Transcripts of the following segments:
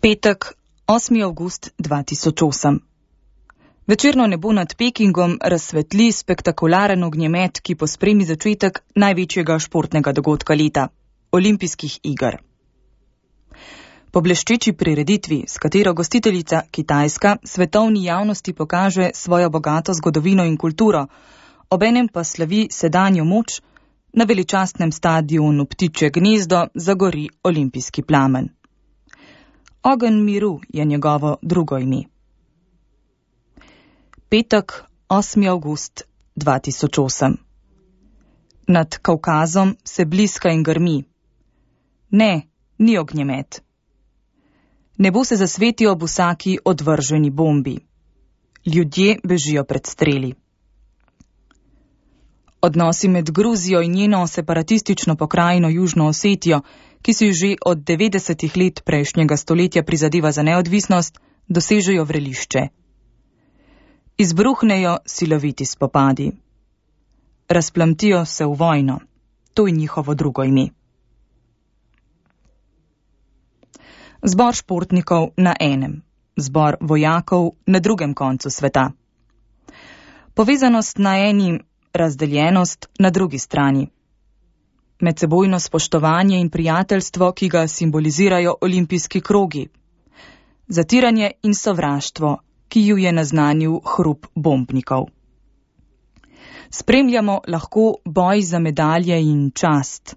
Petek, 8. avgust 2008. Večerno nebo nad Pekingom razsvetli spektakularen ognjemet, ki pospremi začetek največjega športnega dogodka leta – olimpijskih iger. Po bleščeči prireditvi, s katero gostiteljica Kitajska svetovni javnosti pokaže svojo bogato zgodovino in kulturo, obenem pa slavi sedanjo moč, na veličastnem stadionu Ptičje gnezdo zagori olimpijski plamen. Ogenj miru je njegovo drugo ime. Petek, 8. avgust 2008. Nad Kavkazom se bliska in grmi. Ne, ni ognjemet. Nebo se zasveti ob vsaki odvrženi bombi. Ljudje bežijo pred streli. Odnosi med Gruzijo in njeno separatistično pokrajino Južno Osetijo, ki si že od 90. let prejšnjega stoletja prizadeva za neodvisnost, dosežejo vrelišče. Izbruhnejo siloviti spopadi. Razplamtijo se v vojno. To je njihovo drugo ime. Zbor športnikov na enem, zbor vojakov na drugem koncu sveta. Povezanost na eni, razdeljenost na drugi strani. Medsebojno spoštovanje in prijateljstvo, ki ga simbolizirajo olimpijski krogi. Zatiranje in sovraštvo, ki ju je naznanil hrup bombnikov. Spremljamo lahko boj za medalje in čast.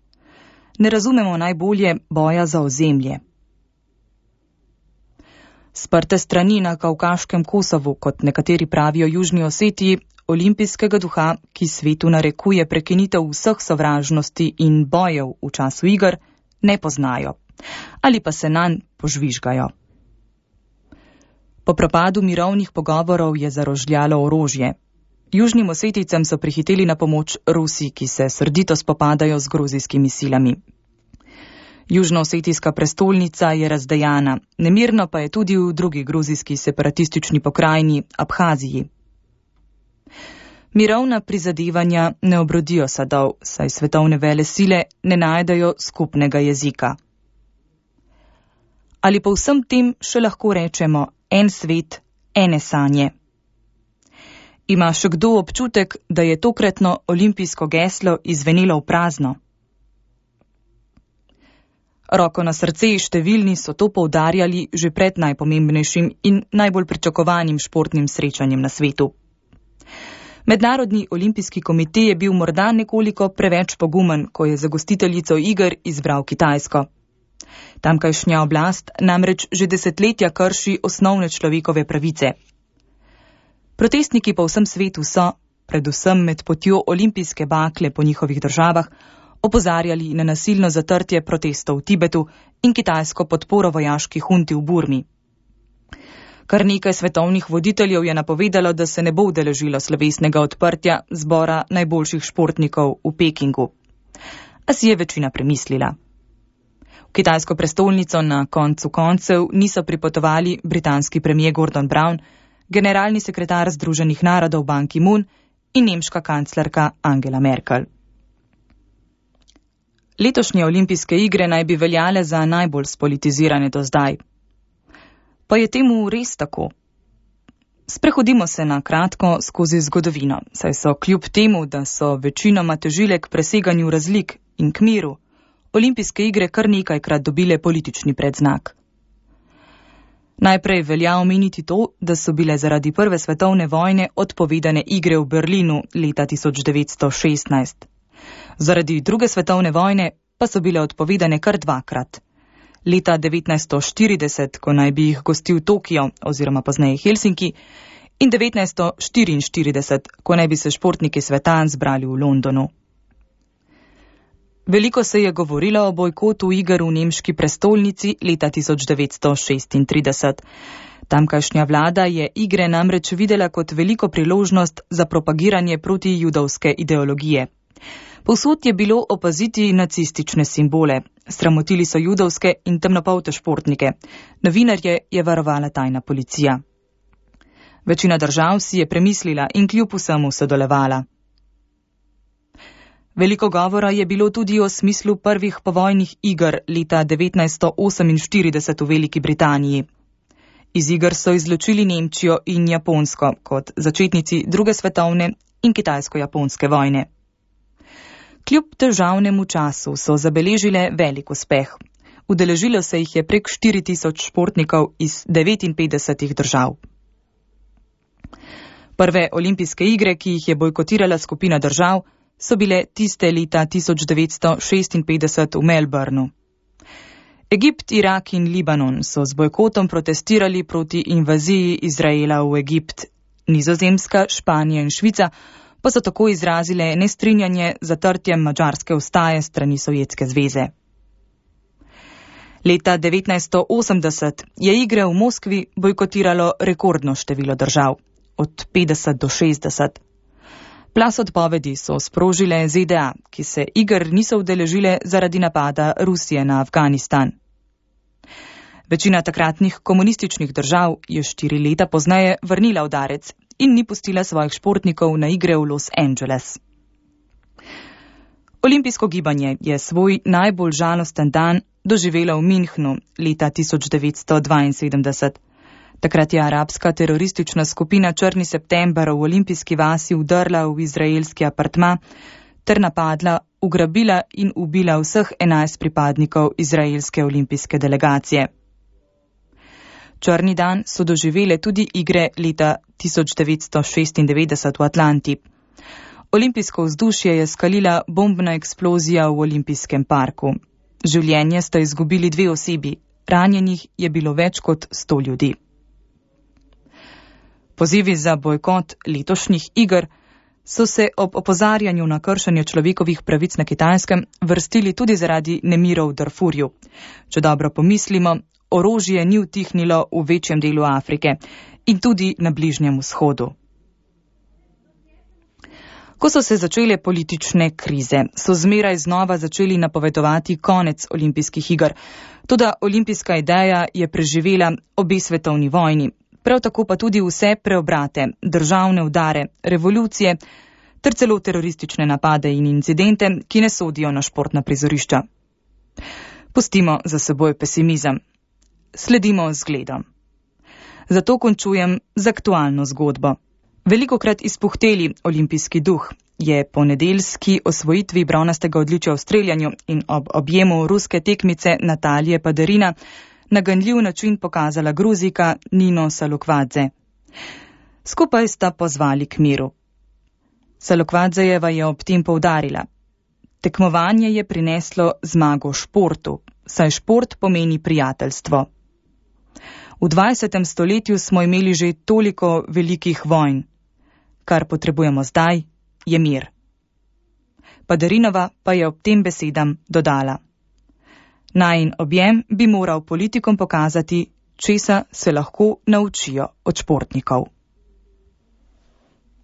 Ne razumemo najbolje boja za ozemlje. Sprte strani na kavkaškem Kosovu, kot nekateri pravijo Južni Osetiji, olimpijskega duha, ki svetu narekuje prekinitev vseh sovražnosti in bojev v času iger, ne poznajo. Ali pa se nanj požvižgajo. Po propadu mirovnih pogovorov je zarožljalo orožje. Južnim Osetijcem so prihiteli na pomoč Rusi, ki se srdito spopadajo z gruzijskimi silami. Južnoosetijska prestolnica je razdejana, nemirno pa je tudi v drugi gruzijski separatistični pokrajini Abhaziji. Mirovna prizadevanja ne obrodijo sadov, saj svetovne vele sile ne najdejo skupnega jezika. Ali po vsem tem še lahko rečemo en svet, ene sanje? Ima še kdo občutek, da je tokratno olimpijsko geslo izvenelo v prazno? Roko na srce, številni so to poudarjali že pred najpomembnejšim in najbolj pričakovanim športnim srečanjem na svetu. Mednarodni olimpijski komite je bil morda nekoliko preveč pogumen, ko je za gostiteljico iger izbral Kitajsko. Tamkajšnja oblast namreč že desetletja krši osnovne človekove pravice. Protestniki po vsem svetu so, predvsem med potjo olimpijske bakle po njihovih državah, opozarjali na nasilno zatrtje protestov v Tibetu in kitajsko podporo vojaški hunti v Burmi. Kar nekaj svetovnih voditeljev je napovedalo, da se ne bo udeležilo slovesnega odprtja zbora najboljših športnikov v Pekingu. A si je večina premislila. V kitajsko prestolnico na koncu koncev niso pripotovali britanski premier Gordon Brown, generalni sekretar Združenih narodov Ban Ki-moon in nemška kanclerka Angela Merkel. Letošnje olimpijske igre naj bi veljale za najbolj spolitizirane do zdaj. Pa je temu res tako? Sprehodimo se na kratko skozi zgodovino, saj so kljub temu, da so večinoma težile k preseganju razlik in k miru, olimpijske igre kar nekajkrat dobile politični predznak. Najprej velja omeniti to, da so bile zaradi Prve svetovne vojne odpovedane igre v Berlinu leta 1916. Zaradi Druge svetovne vojne pa so bile odpovedane kar dvakrat. Leta 1940, ko naj bi jih gostil Tokio oziroma pozneje Helsinki, in 1944, ko naj bi se športniki sveta zbrali v Londonu. Veliko se je govorilo o bojkotu iger v nemški prestolnici leta 1936. Tamkajšnja vlada je igre namreč videla kot veliko priložnost za propagiranje protijudovske ideologije. Povsod je bilo opaziti nacistične simbole. Sramotili so judovske in temnopolte športnike. Novinarje je varovala tajna policija. Večina držav si je premislila in kljub vsemu sodelovala. Veliko govora je bilo tudi o smislu prvih povojnih iger leta 1948 v Veliki Britaniji. Iz iger so izločili Nemčijo in Japonsko kot začetnici druge svetovne in kitajsko-japonske vojne. Kljub težavnemu času so zabeležile velik uspeh. Udeležilo se jih je prek 4000 športnikov iz 59 držav. Prve olimpijske igre, ki jih je bojkotirala skupina držav, so bile tiste leta 1956 v Melbourneu. Egipt, Irak in Libanon so z bojkotom protestirali proti invaziji Izraela v Egipt. Nizozemska, Španija in Švica pa so tako izrazile nestrinjanje z zatrtjem madžarske ustaje strani Sovjetske zveze. Leta 1980 je igre v Moskvi bojkotiralo rekordno število držav, od 50 do 60. Plaz odpovedi so sprožile ZDA, ki se iger niso udeležile zaradi napada Rusije na Afganistan. Večina takratnih komunističnih držav je 4 leta pozneje vrnila udarec in ni pustila svojih športnikov na igre v Los Angeles. Olimpijsko gibanje je svoj najbolj žalosten dan doživelo v Münchnu leta 1972. Takrat je arabska teroristična skupina Črni september v olimpijski vasi vdrla v izraelski apartma ter napadla, ugrabila in ubila vseh 11 pripadnikov izraelske olimpijske delegacije. Črni dan so doživele tudi igre leta 1996 v Atlanti. Olimpijsko vzdušje je skalila bombna eksplozija v olimpijskem parku. Življenje sta izgubili 2 osebi, ranjenih je bilo več kot 100 ljudi. Pozivi za bojkot letošnjih iger so se ob opozarjanju na kršenje človekovih pravic na Kitajskem vrstili tudi zaradi nemirov v Darfurju. Če dobro pomislimo, orožje ni utihnilo v večjem delu Afrike in tudi na Bližnjem vzhodu. Ko so se začele politične krize, so zmeraj znova začeli napovedovati konec olimpijskih iger. Toda olimpijska ideja je preživela obe svetovni vojni, prav tako pa tudi vse preobrate, državne udare, revolucije ter celo teroristične napade in incidente, ki ne sodijo na športna prizorišča. Pustimo za seboj pesimizem. Sledimo zgledom. Zato končujem z aktualno zgodbo. Velikokrat izpuhteli olimpijski duh je po nedeljski osvojitvi bronastega odličja v streljanju in ob objemu ruske tekmice Natalije Paderina na ganljiv način pokazala Gruzijka Nino Salukvadze. Skupaj sta pozvali k miru. Salukvadzejeva je ob tem poudarila: tekmovanje je prineslo zmago športu, saj šport pomeni prijateljstvo. V 20. stoletju smo imeli že toliko velikih vojn. Kar potrebujemo zdaj, je mir. Paderinova pa je ob tem besedam dodala: najin objem bi moral politikom pokazati, česa se lahko naučijo od športnikov.